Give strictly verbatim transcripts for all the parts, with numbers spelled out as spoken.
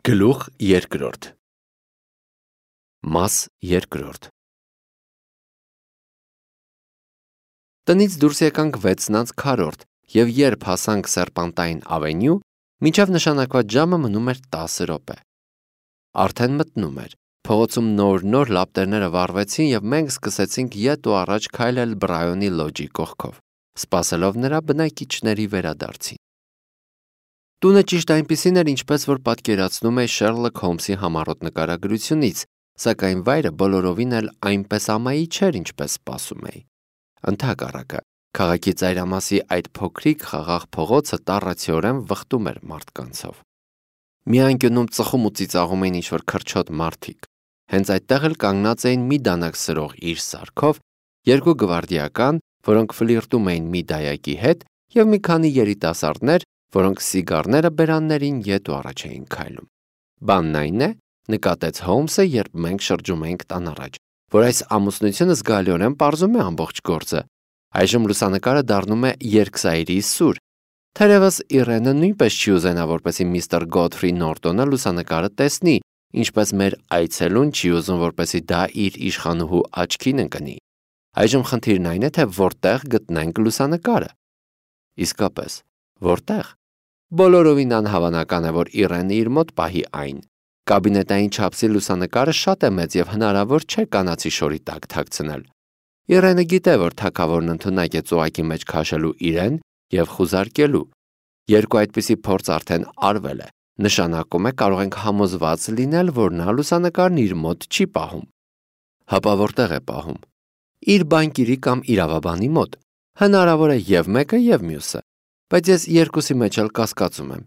Գլուխ երկրորդ Մաս երկրորդ Տնից դուրս եկանք վեցն անց քառորդ և երբ հասանք Սերպանտայն ավենյու, մինչև նշանակված ժամը մնում էր տասը րոպե։ Արդեն մտնում էր, փողոցում նոր-նոր լապտերները վառվեցին և մենք սկսեցինք ետ ու առաջ քայլել Բրայոնի լոջի կողքով, սպասելով նրա բնակիչների վերադարձին։ Տունը ճիշտ այնպիսին էր, ինչպես որ պատկերացնում է Շերլոք Հոլմսի համառոտ նկարագրությունից, սակայն վայրը բոլորովին էլ այնպես ամայի չէր, ինչպես սպասում էի։ Ընդհակառակը, քաղաքի ծայրամասի այդ փոքրիկ խաղաղ փողոցը տառացիորեն վխտում էր մարդկանցով։ Մի անկյունում ծխում ու ծիծաղում էին ինչ-որ քրչոտ մարդիկ։ Հենց այդտեղ էլ կանգնած էին մի դանակ սրող իր սարքով, երկու գվարդիական, որոնք ֆլիրտում էին մի դայակի հետ, և մի քանի երիտասարդներ, որոնք սիգարները բերաններին ետ ու առաջ էին քայլում։ Բանն այն է, նկատեց Հոլմսը, երբ մենք շրջում էինք տան առաջ, որ այս ամուսնությունը զգալիորեն պարզում է ամբողջ գործը։ Այժմ լուսանկարը դառնում է երկսայրի սուր։ Թերևս Իրենը նույնպես չի ուզենա, որպեսզի միստր Գոթֆրի Նորտոնը լուսանկարը տեսնի, ինչպես մեր այցելուն չի ուզում, որպեսզի դա իր իշխանուհու աչքին ընկնի։ Այժմ խնդիրն այն է, թե որտեղ գտնենք լուսանկարը։ Իսկապես, որտեղ։ Բոլորովին անհավանական է, որ Իրենը իր մոտ պահի այն։ Կաբինետային չափսի լուսանկարը շատ է մեծ և հնարավոր չէ կանացի շորի տակ թաքցնել։ Իրենը գիտե, որ թագավորն ընդունակ է ծուղակի մեջ քաշելու իրեն և խուզարկելու։ Երկու այդպիսի փորձ արդեն արվել է։ Նշանակում է կարող ենք համոզված լինել, որ նա լուսանկարն իր մոտ չի պահում։ Հապա որտեղ է պահում։ Իր բանկիրի կամ իրավաբանի մոտ։ Հնարավոր է և մեկը, և մյուսը։ Բայց ես երկուսի մեջ էլ կասկածում եմ։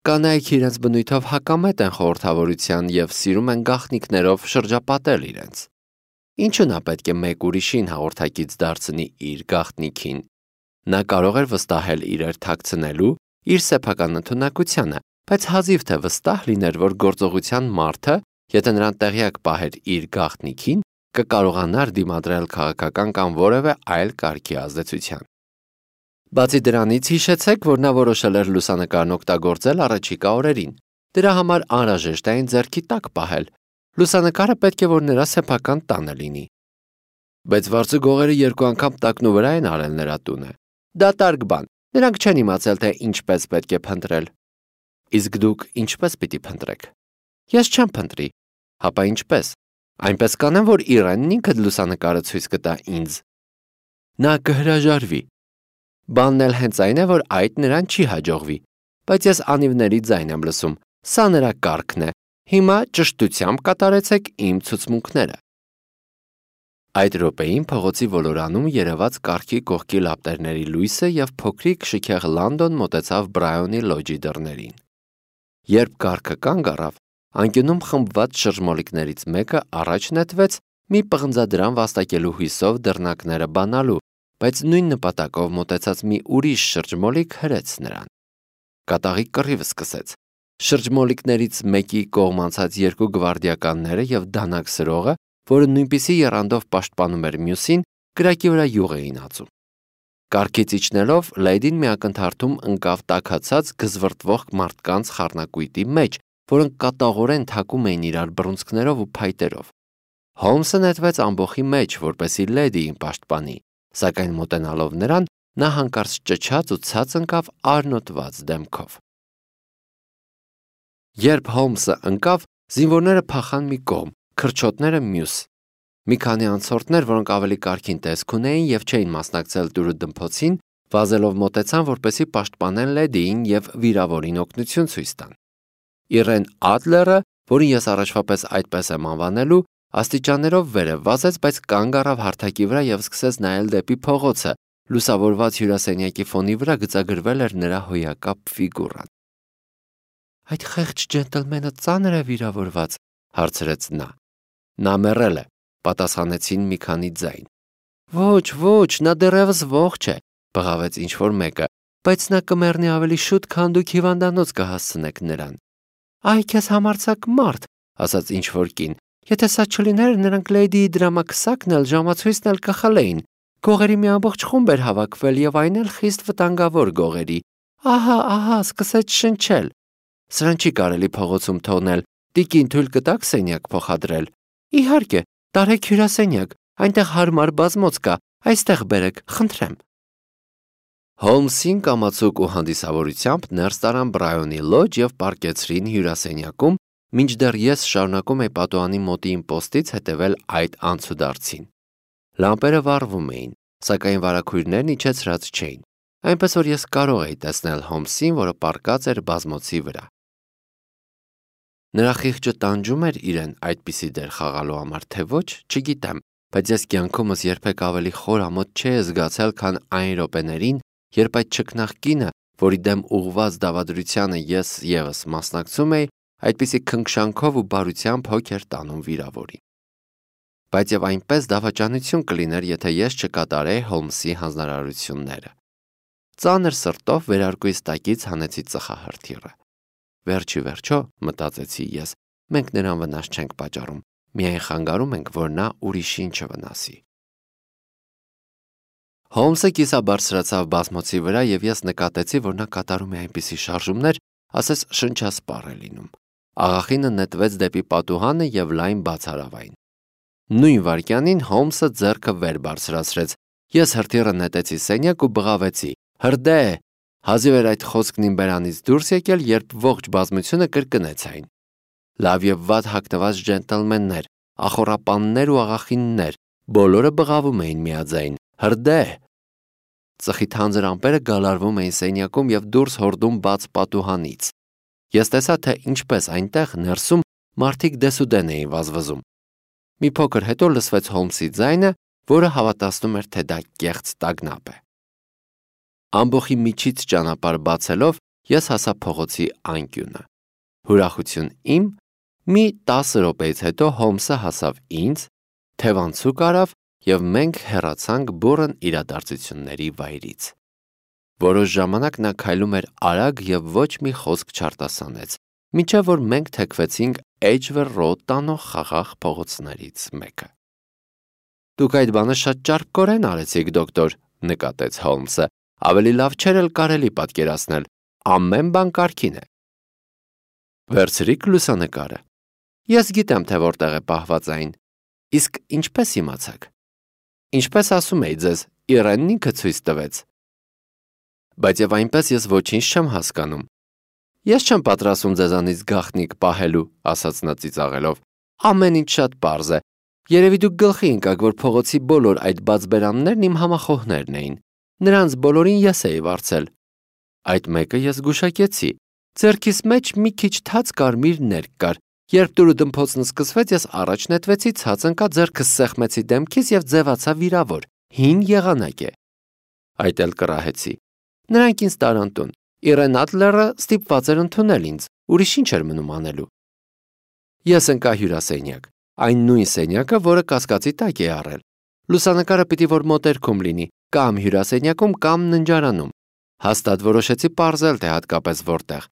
Կանայք իրենց բնույթով հակամետ են խորհրդավորության և սիրում են գաղտնիքներով շրջապատել իրենց։ Ինչու նա պետք է մեկ ուրիշին հաղորդակից դարձնի իր գաղտնիքին։ Նա կարող էր վստահել իրեր թաքցնելու իր սեփական ընդունակությանը, բայց հազիվ թե վստահ լիներ, որ գործողության մարդը, եթե նրան տեղյակ պահեր իր գաղտնիքին, կկարողանար դիմադրել քաղաքական կամ որևէ այլ կարգի ազդեցության։ Բացի դրանից հիշեցեք, որ նա որոշել էր լուսանկարն օգտագործել առաջիկա օրերին։ Դրա համար անհրաժեշտ է այն ձեռքի տակ պահել։ Լուսանկարը պետք է որ նրա սեփական տանը լինի։ Բայց վարձու գողերը երկու անգամ տակնու վրա են արել նրա տունը։ Դատարկ բան։ Նրանք չեն իմացել, թե ինչպես պետք է փնտրել։ Իսկ դուք ինչպես պիտի փնտրեք։ Ես չեմ փնտրի։ Հապա ինչպես։ Այնպես կանեմ, որ Իրենն ինքը լուսանկարը ցույց կտա ինձ։ Նա կհրաժարվի։ Բանն էլ հենց այն է, որ այդ նրան չի հաջողվի, բայց ես անիվների ձայն եմ լսում, սա նրա կարգն է, հիմա ճշտությամբ կատարեցեք իմ ցուցմունքները։ Այդ րոպեին փողոցի ոլորանում երևաց կառքի կողքի լապտերների լույսը և փոքրիկ շքեղ Լանդոն մոտեցավ Բրայոնի լոջի դռներին։ Երբ կառքը կանգ առավ, անկյունում խմբված շրջմոլիկներից մեկը առաջ նետվեց մի պղնձադրամ վաստակելու հույսով դռնակները բանալու, բայց նույն նպատակով մոտեցած մի ուրիշ շրջմոլիկ հրեց նրան։ Կատաղի կռիվ սկսեց։ Շրջմոլիկներից մեկի կողմ անցած երկու գվարդիականները և դանակ սրողը, որը նույնպիսի եռանդով պաշտպանում էր մյուսին, կրակի վրա յուղ էին ածում։ Կառքից իջնելով լեյդին մի ակնթարթում ընկավ տաքացած գզվռտվող մարդկանց խառնակույտի մեջ, որոնք կատաղորեն թակում էին իրար բռունցքներով ու փայտերով։ Հոլմսը նետվեց ամբոխի մեջ, որպեսզի լեդիին պաշտպանի, սակայն մոտենալով նրան, նա հանկարծ ճչաց ու ցած ընկավ արնոտված դեմքով։ Երբ Հոլմսը ընկավ, զինվորները փախան մի կողմ, քրչոտները մյուս։ Մի քանի անցորդներ, որոնք ավելի կարգին տեսք ունեին և չէին մասնակցել տուրուդմփոցին, վազելով մոտեցան, որպեսզի պաշտպանեն լեդիին և վիրավորին օգնություն ցույց տան։ Իրեն Ադլերը, որին ես առաջվա պես այդպես եմ անվանելու, աստիճաններով վերև վազեց, բայց կանգ առավ հարթակի վրա և սկսեց նայել դեպի փողոցը։ Լուսավորված հյուրասենյակի ֆոնի վրա գծագրվել էր նրա հոյակապ ֆիգուրան։ Այդ խեղճ ջենտլմենը ծանր է վիրավորված, հարցրեց նա։ Նա մեռել է, պատասխանեցին մի քանի ձայն։ Ոչ, ոչ, նա դեռևս ողջ է, բղավեց ինչ-որ մեկը, բայց նա կմեռնի ավելի շուտ, քան դուք հիվանդանոց կհասցնեք նրան։ Այ քեզ համարձակ մարդ, ասաց ինչ-որ կին։ Եթե սա չլիներ, նրանք լեյդիի դրամաքսակն էլ ժամացույցն էլ կխլեին։ Գողերի մի ամբողջ խումբ էր հավաքվել և այն էլ խիստ վտանգավոր գողերի։ Ահա, ահա, սկսեց շնչել։ Սրան չի կարելի փողոցում թողնել, տիկին թույլ կտաք սենյակ փոխադրել։ Իհարկե, տարեք հյուրասենյակ, այնտեղ հարմար բազմոց կա, այստեղ բերեք, խնդրեմ։ Հոլմսին կամացուկ ու հանդիսավորությամբ ներս տարան Բրայոնի լոջ և պառկեցրին հյուրասենյակում, մինչդեռ ես շարունակում էի պատուհանի մոտի իմ պոստից հետևել այդ անցուդարձին։ Լամպերը վառվում էին, սակայն վարագույրներն իջեցրած չէին, այնպես որ ես կարող էի տեսնել Հոլմսին, որը պառկած էր բազմոցի վրա։ Նրա խիղճը տանջում էր իրեն այդպիսի դեր խաղալու համար, թե ոչ, չգիտեմ, բայց ես կյանքումս երբեք ավելի խոր ամոթ չէի զգացել, քան այն րոպեներին, երբ այդ չքնաղ կինը, որի դեմ ուղղված դավադրությանը ես ևս մասնակցում էի, այդպիսի քնքշանքով ու բարությամբ հոգ էր տանում վիրավորին։ Բայց եւ այնպես դավաճանություն կլիներ, եթե ես չկատարեի Հոլմսի հանձնարարությունները։ Ծանր սրտով վերարկուիս տակից հանեցի ծխահրթիռը։ Վերջի վերջո, մտածեցի ես, մենք նրան վնաս չենք պատճառում, միայն խանգարում ենք, որ նա ուրիշին չվնասի։ Հոլմսը կիսաբարձրացավ բազմոցի վրա և ես նկատեցի, որ նա կատարում է այնպիսի շարժումներ, ասես շնչասպառ է լինում։ Աղախինը նետվեց դեպի պատուհանը և լայն բացարավ այն։ Նույն վայրկյանին Հոլմսը ձեռքը վեր բարձրացրեց, ես հրթիռը նետեցի սենյակ ու բղավեցի. «Հրդե»։ Հազիվ էր այդ խոսքն իմ բերանից դուրս եկել, երբ ողջ բազմությունը կրկնեց այն։ Լավ և վատ հագնված ջենտլմեններ, ախոռապաններ ու աղախիններ, բոլորը բղավում էին միաձայն. «Հրդե»։ Ծխի թանձր ամպերը գալարվում էին սենյակում և դուրս հորդում բաց պատուհանից։ Ես տեսա, թե ինչպես այնտեղ ներսում մարդիկ դեսուդեն էին վազվզում։ Մի փոքր հետո լսվեց Հոլմսի ձայնը, որը հավատացնում էր, թե դա կեղծ տագնապ է։ Ամբոխի միջից ճանապարհ բացելով ես հասա փողոցի անկյունը։ Ուրախություն իմ, մի տասը րոպեից հետո Հոլմսը հասավ ինձ, թևանցուկ արավ և մենք հեռացանք բուռն իրադարձությունների վայրից։ Որոշ ժամանակ նա քայլում էր արագ և ոչ մի խոսք չարտասանեց, մինչև որ մենք թեքվեցինք Edgware Road տանող խաղաղ փողոցներից մեկը։ Դուք այդ բանը շատ ճարպկորեն արեցիք, դոկտոր, նկատեց Հոլմսը, ավելի լավ չէր էլ կարելի պատկերացնել, ամեն բան կարգին է։ Վերցրիք լուսանկարը։ Ես գիտեմ, թե որտեղ է պահված այն։ Իսկ ինչպես իմացաք։ Ինչպես ասում էի ձեզ, Իրենն ինքը ցույց տվեց։ Բայց եւ այնպես ես ոչինչ չեմ հասկանում։ Ես չեմ պատրաստվում ձեզանից գաղտնիք պահելու, ասաց նա ծիծաղելով։ Ամեն ինչ շատ պարզ է։ Երևի դուք գլխի ընկաք, որ փողոցի բոլոր այդ բաց բերաններն իմ համախոհներն էին։ Նրանց բոլորին ես էի վարձել։ Այդ մեկը ես գուշակեցի։ Ձեռքիս մեջ մի քիչ թաց կարմիր ներք կար։ Երբ դուրուդմփոցն սկսվեց, ես առաջ նետվեցի, ցած ընկա, ձեռքս սեղմեցի դեմքից և ձևացա վիրավոր։ Հին եղանակ է։ Այդ էլ կռահեցի։ Նրանք ինձ տարան տուն։ Իրեն Ադլերը ստիպված էր ընդունել ինձ, ուրիշ ինչ էր մնում անելու։ Ես ընկա հյուրասենյակ, այն նույն սենյակը, որը կասկածի տակ է առել։ Լուսանկարը պիտի որ մոտերքում լինի, կամ հյուրասենյակում, կամ ննջարանում։ Հաստատ որոշեցի պարզել, թե հատկապես որտեղ։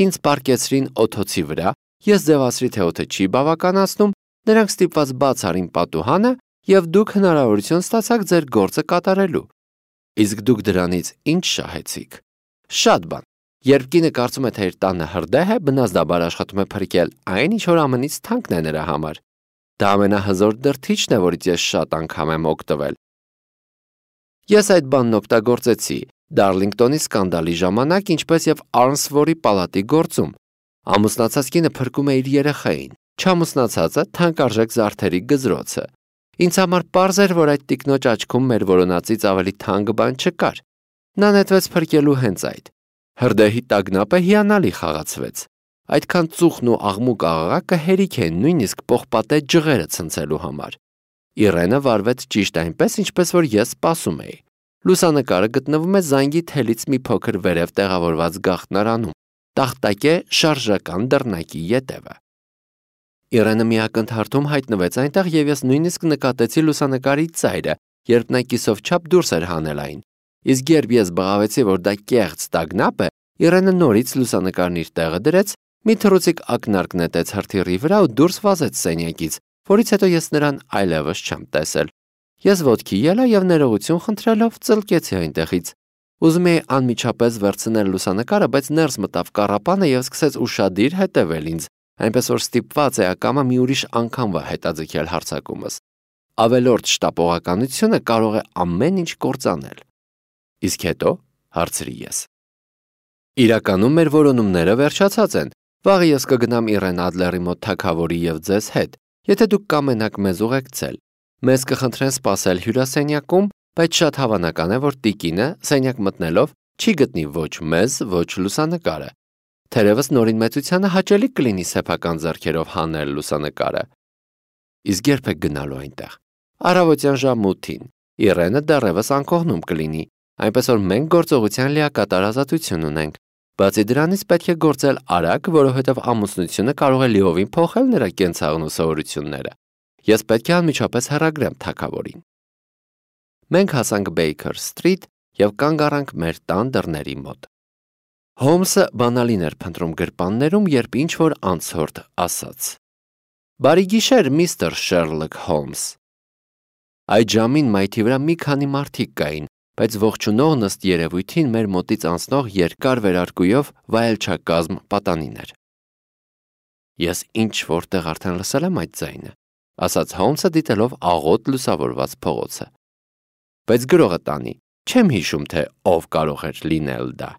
Ինձ պառկեցրին օդոցի վրա, ես ձևացրի, թե օդը չի բավականացնում, նրանք ստիպված բաց արին պատուհանը և դուք հնարավորություն ստացաք ձեր գործը կատարելու։ Իսկ դուք դրանից ինչ շահեցիք։ Շատ բան։ Երբ կինը կարծում է, թե իր տանը հրդեհ է, բնազդաբար աշխատում է փրկել այն, ինչ որ ամենից թանկն է նրա համար։ Դա ամենահզոր դրդիչն է, որից ես շատ անգամ եմ օգտվել։ Ես այդ բանն օգտագործեցի Դարլինգտոնի սկանդալի ժամանակ, ինչպես և Արնսվորի պալատի գործում։ Ամուսնացած կինը փրկում է իր երեխային, չամուսնացածը թանկարժեք զարդերի գզրոցը։ Ինձ համար պարզ էր, որ այդ տիկնոջ աչքում մեր որոնածից ավելի թանկ բան չկար։ Նա նետվեց փրկելու հենց այդ։ Հրդեհի տագնապը հիանալի խաղացվեց։ Այդքան ծուխն ու աղմուկ աղաղակը հերիք են նույնիսկ պողպատե ջղերը ցնցելու համար։ Իրենը վարվեց ճիշտ այնպես, ինչպես որ ես սպասում էի։ Լուսանկարը գտնվում է զանգի թելից մի փոքր վերև տեղավորված գաղտնարանում, տախտակե շարժական դռնակի ետևը։ Իրենը մի ակնթարթում հայտնվեց այնտեղ և ես նույնիսկ նկատեցի լուսանկարի ծայրը, երբ նա կիսով չափ դուրս էր հանել այն։ Իսկ երբ ես բղավեցի, որ դա կեղծ տագնապ է, Իրենը նորից լուսանկարն իր տեղը դրեց, մի թռուցիկ ակնարկ նետեց հրթիռի վրա ու դուրս վազեց սենյակից, որից հետո ես նրան այլևս չեմ տեսել։ Ես ոտքի ելա և ներողություն խնդրելով ծլկեցի այնտեղից։ Ուզում էի անմիջապես վերցնել լուսանկարը, բայց ներս մտավ կառապանը եւ սկսեց ուշադիր հետևել ինձ, այնպես որ ստիպված էի ակամա մի ուրիշ անգամվա հետաձգել հարձակումս։ Ավելորդ շտապողականությունը կարող է ամեն ինչ կործանել։ Իսկ հետո, հարցրի ես։ Իրականում մեր որոնումները վերջացած են։ Վաղը ես կգնամ Իրեն Ադլերի մոտ թագավորի եւ ձեզ հետ, եթե դուք կամենաք մեզ ուղեկցել։ Մեզ կխնդրեն սպասել հյուրասենյակում, բայց շատ հավանական է, որ տիկինը սենյակ մտնելով չի գտնի ոչ մեզ, ոչ լուսանկարը։ Թերևս նորին մեծությանը հաճելի կլինի սեփական ձեռքերով հանել լուսանկարը։ Իսկ երբ եք գնալու այնտեղ։ Առավոտյան ժամը ութին։ Իրենը դեռևս անկողնում կլինի, այնպես որ մենք գործողության լիակատար ազատություն ունենք։ Բացի դրանից պետք է գործել արագ, որովհետև ամուսնությունը կարող է լիովին փոխել նրա կենցաղն ու սովորությունները։ Ես պետք է անմիջապես հեռագրեմ թագավորին։ Մենք հասանք Baker Street եւ կանգ առանք մեր տան դռների մոտ։ Հոլմսը բանալին էր փնտրում գրպաններում, երբ ինչ-որ անցորդ ասաց. «Բարի գիշեր, միստր Շերլոկ Հոլմս»։ Այդ ժամին մայթի վրա մի քանի մարդիկ կային, բայց ողջունողն ըստ երևույթին մեր մոտից անցնող երկար վերարկուով վայելչակազմ պատանին էր։ Ես ինչ-որտեղ արդեն լսել եմ այդ ձայնը, ասաց Հոլմսը դիտելով աղոտ լուսավորված փողոցը։ Բայց գրողը տանի, չեմ հիշում, թե ով կարող էր լինել դա։